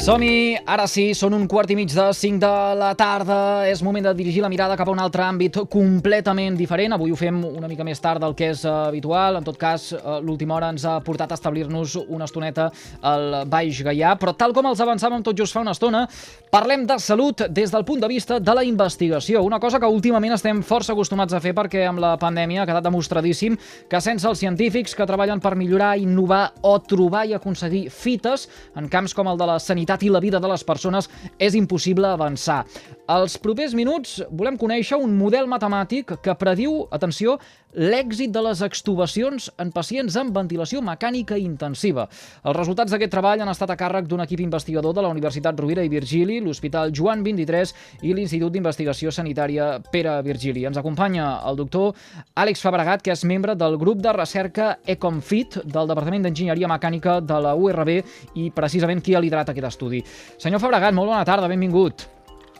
Som-hi! Ara sí, són 1:15 de la tarda. És moment de dirigir la mirada cap a un altre àmbit completament diferent. Avui ho fem una mica més tard del que és habitual. En tot cas, l'última hora ens ha portat a establir-nos una estoneta al Baix Gaià. Però tal com els avançàvem tot just fa una estona, parlem de salut des del punt de vista de la investigació. Una cosa que últimament estem força acostumats a fer perquè amb la pandèmia ha quedat demostradíssim que sense els científics que treballen per millorar, innovar o trobar i aconseguir fites en camps com el de la sanitat i la vida de les persones és impossible avançar. Els propers minuts volem conèixer un model matemàtic que prediu, atenció, l'èxit de les extubacions en pacients amb ventilació mecànica intensiva. Els resultats d'aquest treball han estat a càrrec d'un equip investigador de la Universitat Rovira i Virgili, l'Hospital Joan XXIII i l'Institut d'Investigació Sanitària Pere Virgili. Ens acompanya el doctor Àlex Fabregat, que és membre del grup de recerca ECOMFIT del Departament d'Enginyeria Mecànica de la URB i precisament qui ha liderat aquest estudi. Senyor Fabregat, molt bona tarda, benvingut.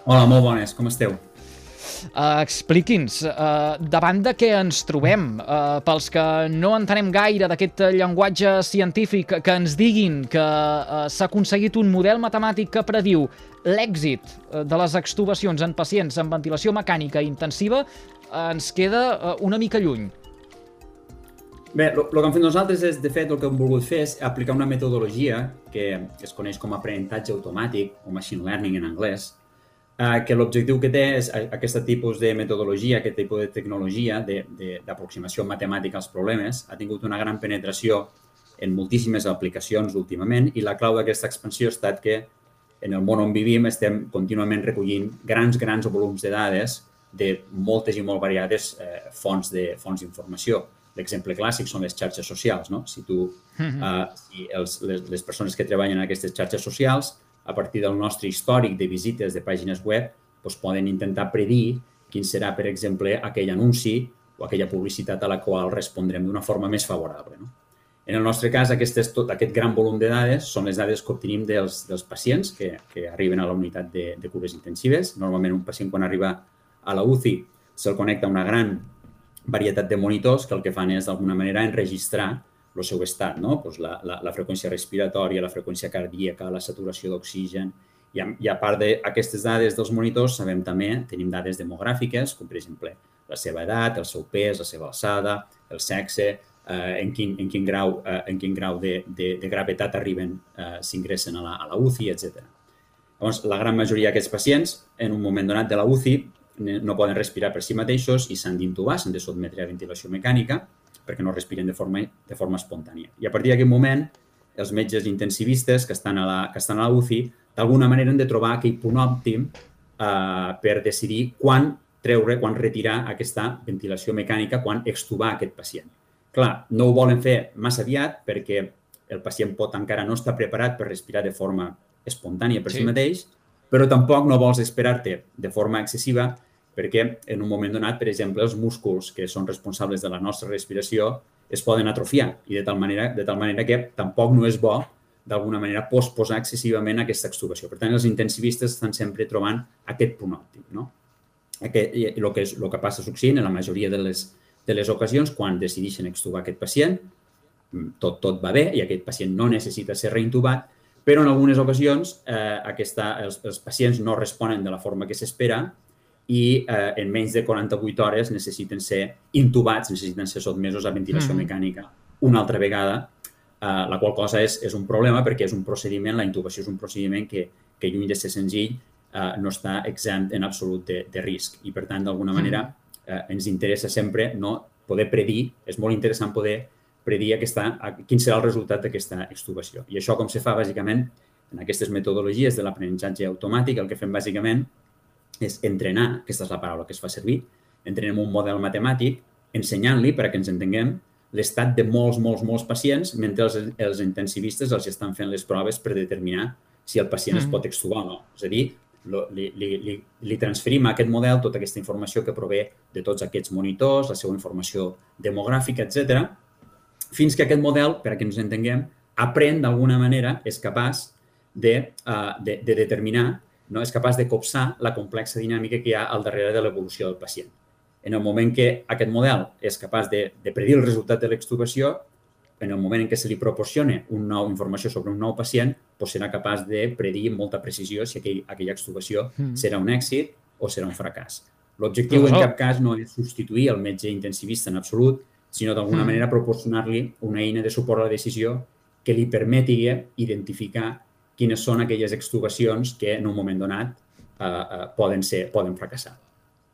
Hola, molt bones, com esteu? Expliqui'ns, davant de què ens trobem? Pels que no entenem gaire d'aquest llenguatge científic, que ens diguin que s'ha aconseguit un model matemàtic que prediu l'èxit de les extubacions en pacients amb ventilació mecànica intensiva, ens queda una mica lluny. Bé, el que hem fet nosaltres és, de fet, el que hem volgut fer és aplicar una metodologia que es coneix com a aprenentatge automàtic, o machine learning en anglès, que l'objectiu que té és aquest tipus de metodologia, aquest tipus de tecnologia d'aproximació matemàtica als problemes, ha tingut una gran penetració en moltíssimes aplicacions últimament i la clau d'aquesta expansió ha estat que en el món on vivim estem contínuament recollint grans volums de dades de moltes i molt variades fonts d'informació. L'exemple clàssic són les xarxes socials, no? Si les persones que treballen en aquestes xarxes socials, a partir del nostre històric de visites de pàgines web, poden intentar predir quin serà, per exemple, aquell anunci o aquella publicitat a la qual respondrem d'una forma més favorable. En el nostre cas, tot aquest gran volum de dades són les dades que obtenim dels pacients que arriben a la unitat de cures intensives. Normalment, un pacient, quan arriba a la UCI, se'l connecta a una gran varietat de monitors que el que fan és, d'alguna manera, enregistrar el seu estat, no? La freqüència respiratòria, la freqüència cardíaca, la saturació d'oxigen. I a part d'aquestes dades dels monitors, tenim dades demogràfiques, com per exemple la seva edat, el seu pes, la seva alçada, el sexe, en quin grau de gravetat arriben, s'ingressen a la UCI, etc. Llavors, la gran majoria d'aquests pacients, en un moment donat de la UCI, no poden respirar per si mateixos i s'han d'intubar, s'han de sotmetre a ventilació mecànica perquè no respiren de forma espontània. I a partir d'aquest moment, els metges intensivistes que estan a la UCI, d'alguna manera han de trobar aquell punt òptim per decidir quan retirar aquesta ventilació mecànica, quan extubar aquest pacient. Clar, no ho volen fer massa aviat perquè el pacient pot encara no estar preparat per respirar de forma espontània per si mateix, però tampoc no vols esperar-te de forma excessiva perquè en un moment donat, per exemple, els músculs que són responsables de la nostra respiració es poden atrofiar i de tal manera que tampoc no és bo, d'alguna manera, posposar excessivament aquesta extubació. Per tant, els intensivistes estan sempre trobant aquest punt òptim, no? El que passa succeint en la majoria de les ocasions, quan decideixen extubar aquest pacient, tot va bé i aquest pacient no necessita ser reintubat, però en algunes ocasions els pacients no responen de la forma que s'espera i en menys de 48 hores necessiten ser intubats, necessiten ser sotmesos a ventilació mecànica una altra vegada, la qual cosa és un problema perquè és un procediment, la intubació és un procediment que lluny de ser senzill no està exempt en absolut de risc i per tant, d'alguna manera, ens interessa sempre poder predir, és molt interessant poder predir quin serà el resultat d'aquesta extubació. I això com se fa, bàsicament, en aquestes metodologies de l'aprenentatge automàtic, el que fem bàsicament és entrenar, aquesta és la paraula que es fa servir, entrenem un model matemàtic ensenyant-li, perquè ens entenguem, l'estat de molts pacients mentre els intensivistes els estan fent les proves per determinar si el pacient es pot extubar o no. És a dir, li transferim a aquest model tota aquesta informació que prové de tots aquests monitors, la seva informació demogràfica, etc., fins que aquest model, per a que ens entenguem, aprèn d'alguna manera, és capaç de determinar, és capaç de copsar la complexa dinàmica que hi ha al darrere de l'evolució del pacient. En el moment que aquest model és capaç de predir el resultat de l'extubació, en el moment en què se li proporciona una nova informació sobre un nou pacient, serà capaç de predir amb molta precisió si aquella extubació serà un èxit o serà un fracàs. L'objectiu en cap cas no és substituir el metge intensivista en absolut, sinó d'alguna manera proporcionar-li una eina de suport a la decisió que li permeti identificar quines són aquelles extubacions que en un moment donat poden fracassar.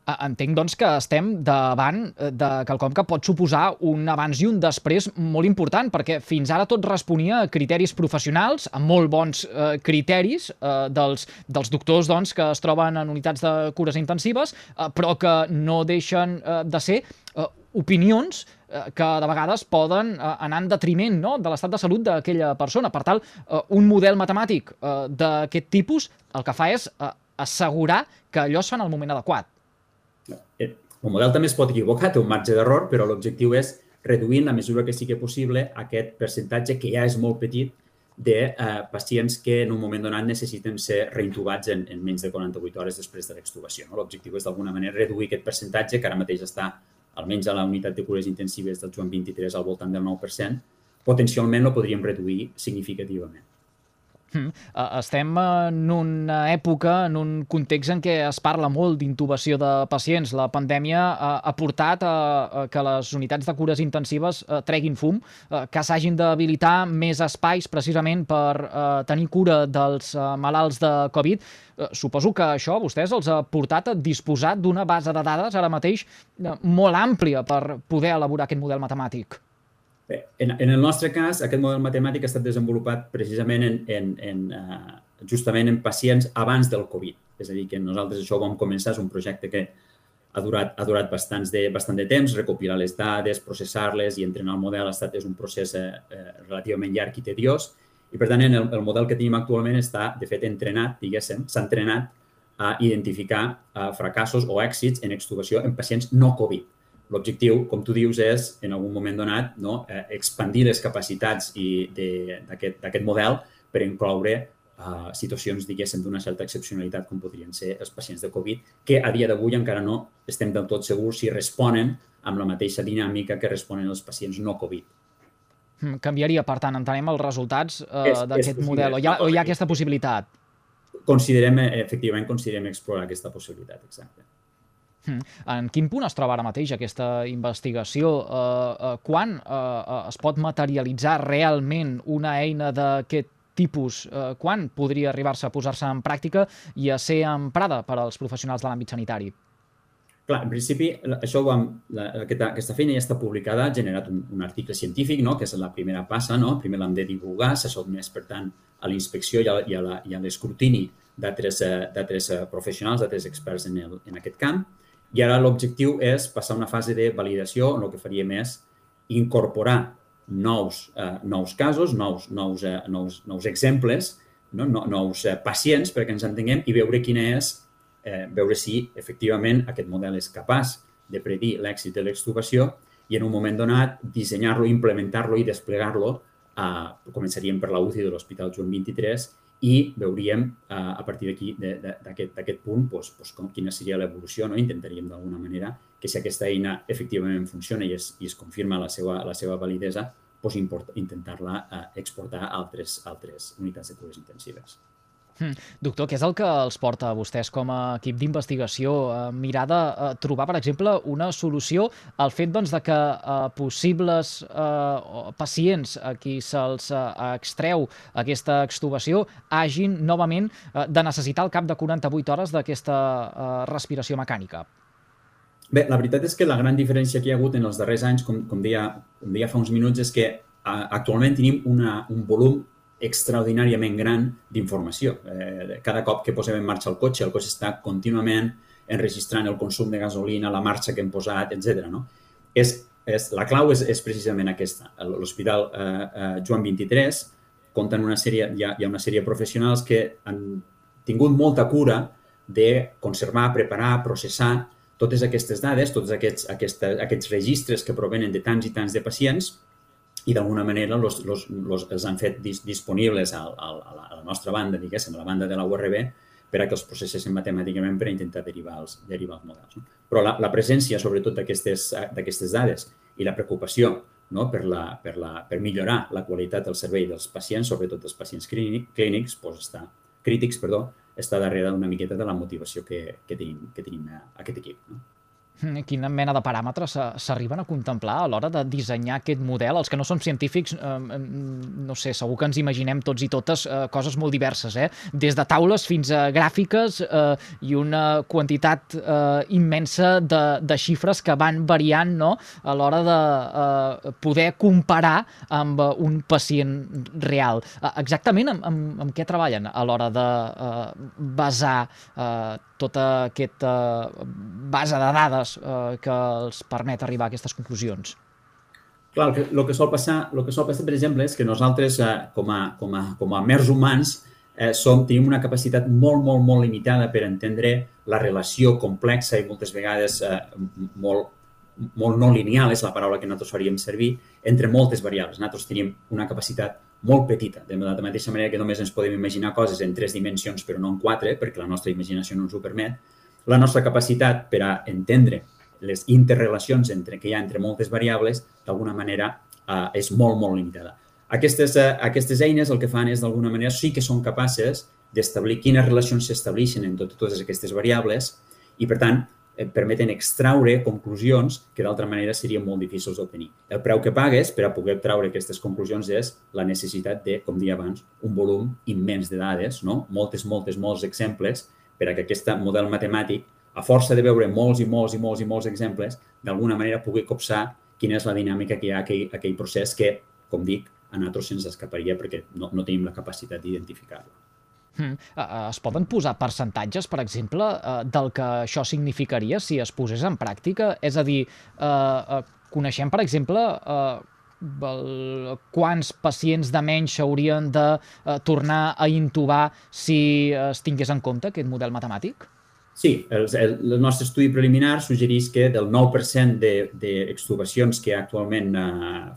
Entenc, doncs, que estem davant de quelcom que pot suposar un abans i un després molt important, perquè fins ara tot responia a criteris professionals, a molt bons criteris dels doctors doncs, que es troben en unitats de cures intensives, però que no deixen de ser opinions que de vegades poden anar en detriment, no?, de l'estat de salut d'aquella persona. Per tant, un model matemàtic d'aquest tipus el que fa és assegurar que allò es fa en el moment adequat. El model també es pot equivocar, té un marge d'error, però l'objectiu és reduir en la mesura que sigui possible aquest percentatge, que ja és molt petit, de pacients que en un moment donat necessiten ser reintubats en menys de 48 hores després de l'extubació. L'objectiu és d'alguna manera reduir aquest percentatge, que ara mateix està almenys a la unitat de cures intensives del Joan 23 al voltant del 9%, potencialment lo podríem reduir significativament. Estem en una època, en un context en què es parla molt d'intubació de pacients. La pandèmia ha portat a que les unitats de cures intensives treguin fum, que s'hagin d'habilitar més espais precisament per tenir cura dels malalts de Covid. Suposo que això a vostès els ha portat a disposar d'una base de dades ara mateix molt àmplia per poder elaborar aquest model matemàtic. Bé, en el nostre cas, aquest model matemàtic ha estat desenvolupat precisament justament en pacients abans del Covid. És a dir, que nosaltres això ho vam començar, és un projecte que ha durat bastant de temps, recopilar les dades, processar-les i entrenar el model és un procés relativament llarg i tediós. I, per tant, el model que tenim actualment està, de fet, entrenat, diguéssim, s'ha entrenat a identificar fracassos o èxits en extubació en pacients no Covid. L'objectiu, com tu dius, és, en algun moment donat, expandir les capacitats d'aquest model per incloure situacions, diguéssim, d'una certa excepcionalitat, com podrien ser els pacients de Covid, que a dia d'avui encara no estem del tot segurs si responen amb la mateixa dinàmica que responen els pacients no Covid. Canviaria, per tant, entenem els resultats d'aquest model, o hi ha aquesta possibilitat? Efectivament, considerem explorar aquesta possibilitat, exacte. En quin punt es troba ara mateix aquesta investigació? Quan es pot materialitzar realment una eina d'aquest tipus? Quan podria arribar-se a posar-se en pràctica i a ser emprada per als professionals de l'àmbit sanitari? Clar, en principi, aquesta feina ja està publicada, ha generat un article científic, que és la primera passa, primer l'hem de divulgar, s'ha sotmès, per tant, a la inspecció i a l'escrutini d'altres professionals, d'altres experts en aquest camp. I ara l'objectiu és passar a una fase de validació on el que faríem és incorporar nous casos, nous exemples, nous pacients, perquè ens entenguem, i veure si efectivament aquest model és capaç de predir l'èxit de l'extubació i en un moment donat dissenyar-lo, implementar-lo i desplegar-lo. Començaríem per la UCI de l'Hospital Joan 23 i veuríem a partir d'aquí, d'aquest punt, quina seria l'evolució. Intentaríem d'alguna manera que si aquesta eina efectivament funciona i es confirma la seva validesa, intentar-la exportar a altres unitats de cures intensives. Doctor, què és el que els porta a vostès com a equip d'investigació a mirar de trobar, per exemple, una solució al fet de que possibles pacients a qui se'ls extreu aquesta extubació hagin novament de necessitar al cap de 48 hores d'aquesta respiració mecànica? Bé, la veritat és que la gran diferència que hi ha hagut en els darrers anys, com deia fa uns minuts, és que actualment tenim un volum extraordinàriament gran d'informació. Cada cop que posem en marxa el cotxe està contínuament enregistrant el consum de gasolina, la marxa que hem posat, etc. La clau és precisament aquesta. L'Hospital Joan 23 compta amb hi ha una sèrie de professionals que han tingut molta cura de conservar, preparar, processar totes aquestes dades, tots aquests registres que provenen de tants i tants de pacients i d'alguna manera els han fet disponibles a la nostra banda, diguéssim, a la banda de la URB, per a que els processessin matemàticament per a intentar derivar els models. Però la presència, sobretot, d'aquestes dades i la preocupació no? per millorar la qualitat del servei dels pacients, sobretot dels pacients clínics, crítics, està darrere una miqueta de la motivació que tenim aquest equip. No? Quina mena de paràmetres s'arriben a contemplar a l'hora de dissenyar aquest model? Els que no som científics, no sé, segur que ens imaginem tots i totes coses molt diverses, des de taules fins a gràfiques i una quantitat immensa de xifres que van variant, no?, a l'hora de poder comparar amb un pacient real. Exactament amb què treballen a l'hora de basar tota aquesta base de dades que els permet arribar a aquestes conclusions? Clar, el que sol passar, per exemple, és que nosaltres, com a mers humans, tenim una capacitat molt, molt, molt limitada per entendre la relació complexa i moltes vegades molt no lineal, és la paraula que nosaltres faríem servir, entre moltes variables. Nosaltres tenim una capacitat molt petita, de la mateixa manera que només ens podem imaginar coses en 3 dimensions però no en 4, perquè la nostra imaginació no ens ho permet. La nostra capacitat per a entendre les interrelacions que hi ha entre moltes variables, d'alguna manera, és molt, molt limitada. Aquestes eines el que fan és, d'alguna manera, sí que són capaces d'establir quines relacions s'estableixen en totes aquestes variables i, per tant, permeten extraure conclusions que d'altra manera serien molt difícils d'obtenir. El preu que pagues per a poder treure aquestes conclusions és la necessitat de, com deia abans, un volum immens de dades, no? Molts exemples per a que aquest model matemàtic, a força de veure molts exemples, d'alguna manera pugui copsar quina és la dinàmica que hi ha aquell procés que, com dic, a nosaltres se'ns escaparia perquè no tenim la capacitat d'identificar-lo. Es poden posar percentatges, per exemple, del que això significaria si es posés en pràctica? És a dir, coneixem, per exemple, quants pacients de menys s'haurien de tornar a intubar si es tingués en compte aquest model matemàtic? Sí, el nostre estudi preliminar suggereix que del 9% d'extubacions que actualment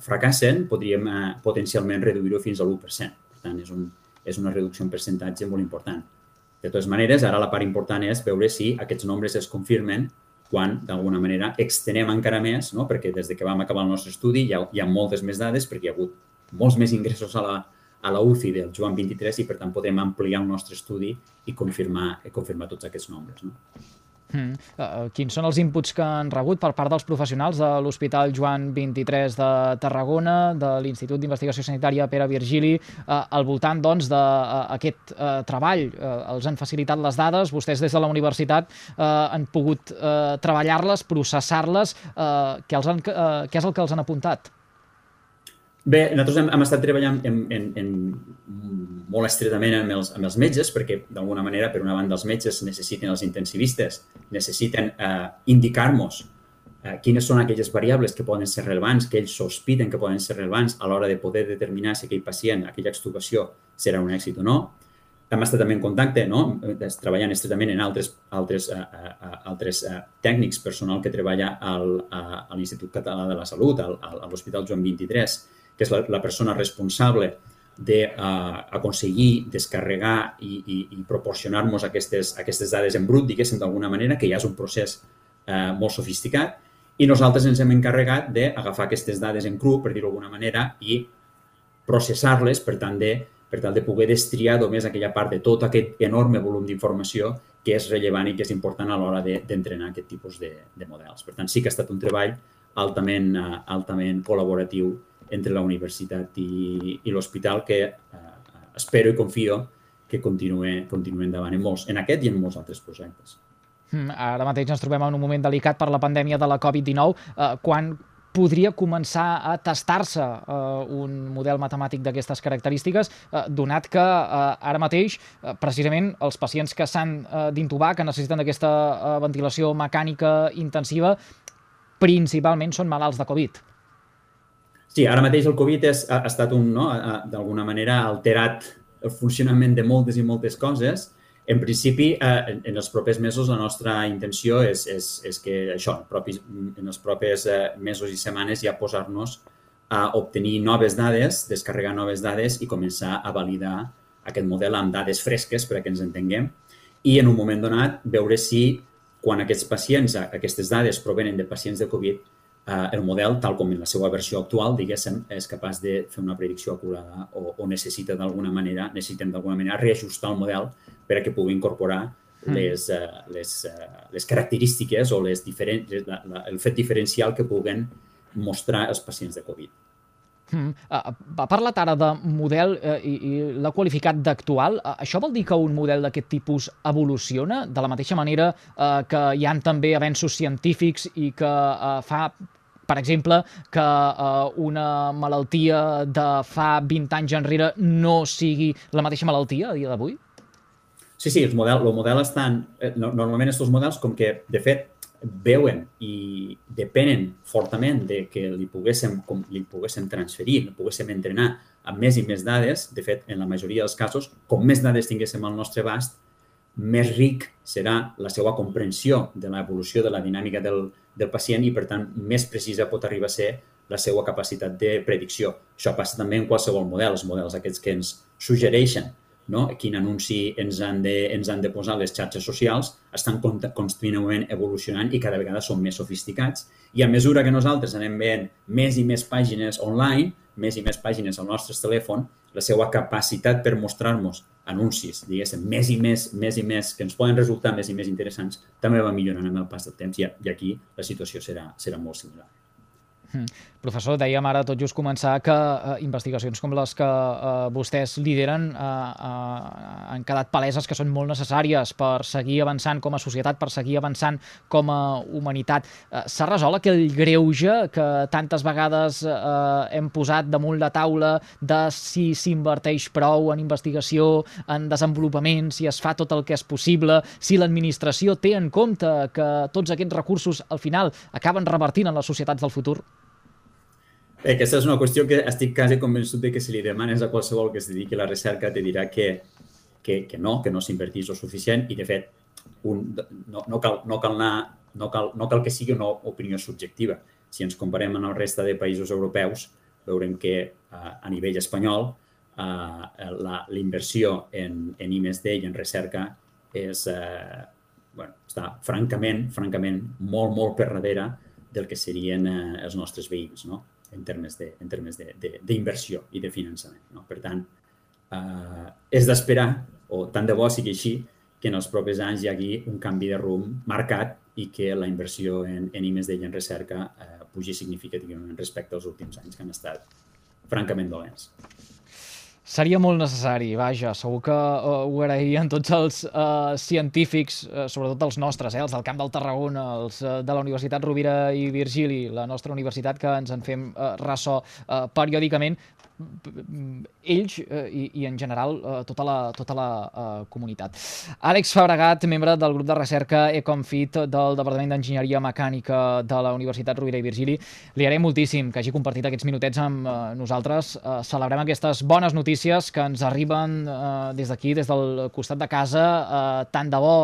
fracassen podríem potencialment reduir-ho fins a l'1%. Per tant, és una reducció en percentatge molt important. De totes maneres, ara la part important és veure si aquests nombres es confirmen quan, d'alguna manera, extenem encara més, no? Perquè des que vam acabar el nostre estudi hi ha moltes més dades perquè hi ha hagut molts més ingressos a la UCI del Joan 23 i, per tant, podem ampliar el nostre estudi i confirmar tots aquests nombres. No? Quins són els inputs que han rebut per part dels professionals de l'Hospital Joan 23 de Tarragona, de l'Institut d'Investigació Sanitària Pere Virgili, al voltant d'aquest treball? Els han facilitat les dades, vostès des de la universitat han pogut treballar-les, processar-les. Què és el que els han apuntat? Bé, nosaltres hem estat treballant molt estretament amb els metges perquè, d'alguna manera, per una banda, els metges necessiten, els intensivistes, necessiten indicar-nos quines són aquelles variables que poden ser rellevants, que ells sospiten que poden ser rellevants a l'hora de poder determinar si aquell pacient, aquella extubació, serà un èxit o no. Hem estat també en contacte, no? Treballant estretament en altres tècnics, personal que treballa a l'Institut Català de la Salut, a l'Hospital Joan 23, que és la persona responsable d'aconseguir descarregar i proporcionar-nos aquestes dades en brut, diguéssim, d'alguna manera, que ja és un procés molt sofisticat, i nosaltres ens hem encarregat d'agafar aquestes dades en cru, per dir-ho d'alguna manera, i processar-les per tal de poder destriar només aquella part de tot aquest enorme volum d'informació que és rellevant i que és important a l'hora d'entrenar aquest tipus de models. Per tant, sí que ha estat un treball altament col·laboratiu entre la universitat i l'hospital que espero i confio que continuï endavant en aquest i en molts altres projectes. Ara mateix ens trobem en un moment delicat per la pandèmia de la Covid-19. Quan podria començar a tastar-se un model matemàtic d'aquestes característiques, donat que ara mateix, precisament, els pacients que s'han d'intubar, que necessiten aquesta ventilació mecànica intensiva, principalment són malalts de Covid? Sí, ara mateix el Covid ha estat d'alguna manera alterat el funcionament de moltes i moltes coses. En principi, en els propers mesos, la nostra intenció és que això, en els propers mesos i setmanes ja posar-nos a obtenir noves dades, descarregar noves dades i començar a validar aquest model amb dades fresques per a que ens entenguem i en un moment donat veure si quan aquests pacients, aquestes dades provenen de pacients de Covid, el model, tal com en la seva versió actual, diguéssim, és capaç de fer una predicció acurada o necessitem d'alguna manera reajustar el model per a que pugui incorporar les característiques o el fet diferencial que puguen mostrar els pacients de Covid. Ha parlat ara de model i l'ha qualificat d'actual. Això vol dir que un model d'aquest tipus evoluciona de la mateixa manera que hi ha també avenços científics i que fa, per exemple, que una malaltia de fa 20 anys enrere no sigui la mateixa malaltia a dia d'avui? Sí, el model estan... Normalment aquests models, com que, de fet, veuen i depenen fortament de que li poguéssim transferir, li poguéssim entrenar amb més i més dades. De fet, en la majoria dels casos, com més dades tinguéssim al nostre abast, més ric serà la seva comprensió de l'evolució de la dinàmica del pacient i, per tant, més precisa pot arribar a ser la seva capacitat de predicció. Això passa també en qualsevol model. Els models aquests que ens suggereixen quin anunci ens han de posar les xarxes socials estan contínuament evolucionant i cada vegada són més sofisticats. I a mesura que nosaltres anem veient més i més pàgines online, més i més pàgines al nostre telèfon, la seva capacitat per mostrar-nos anuncis, diguéssim, més i més, que ens poden resultar més i més interessants, també va millorant amb el pas del temps i aquí la situació serà molt similar. Professor, dèiem ara tot just començar que investigacions com les que vostès lideren han quedat paleses que són molt necessàries per seguir avançant com a societat, per seguir avançant com a humanitat. S'ha resolt aquell greuge que tantes vegades hem posat damunt la taula de si s'inverteix prou en investigació, en desenvolupament, si es fa tot el que és possible, si l'administració té en compte que tots aquests recursos al final acaben revertint en les societats del futur? Aquesta és una qüestió que estic quasi convençut de que si li demanes a qualsevol que es dediqui a la recerca te dirà que no s'inverteix el suficient i, de fet, no cal que sigui una opinió subjectiva. Si ens comparem amb la resta de països europeus, veurem que a nivell espanyol la inversió en I+D i en recerca està francament molt per darrere del que serien els nostres veïns, no? En termes d'inversió i de finançament. Per tant, és d'esperar, o tant de bo sigui així, que en els propers anys hi hagi un canvi de rumb marcat i que la inversió en I+D i en recerca pugi significativament respecte als últims anys, que han estat francament dolents. Seria molt necessari, vaja, segur que ho agrairien tots els científics, sobretot els nostres, els del Camp del Tarragona, els de la Universitat Rovira i Virgili, la nostra universitat, que ens en fem ressò periòdicament, ells i en general tota la comunitat. Àlex Fabregat, membre del grup de recerca Ecomfit del Departament d'Enginyeria Mecànica de la Universitat Rovira i Virgili, li agraïm moltíssim que hagi compartit aquests minutets amb nosaltres. Celebrem aquestes bones notícies que ens arriben des d'aquí, des del costat de casa. Tant de bo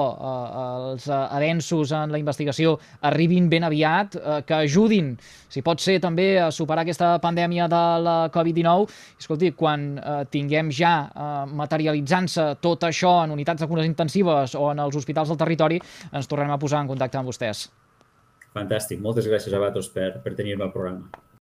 els avenços en la investigació arribin ben aviat, que ajudin, si pot ser, també a superar aquesta pandèmia de la Covid-19. Escolti, quan tinguem ja materialitzant-se tot això en unitats de cures intensives o en els hospitals del territori, ens tornarem a posar en contacte amb vostès. Fantàstic. Moltes gràcies a vosaltres per tenir-me al programa.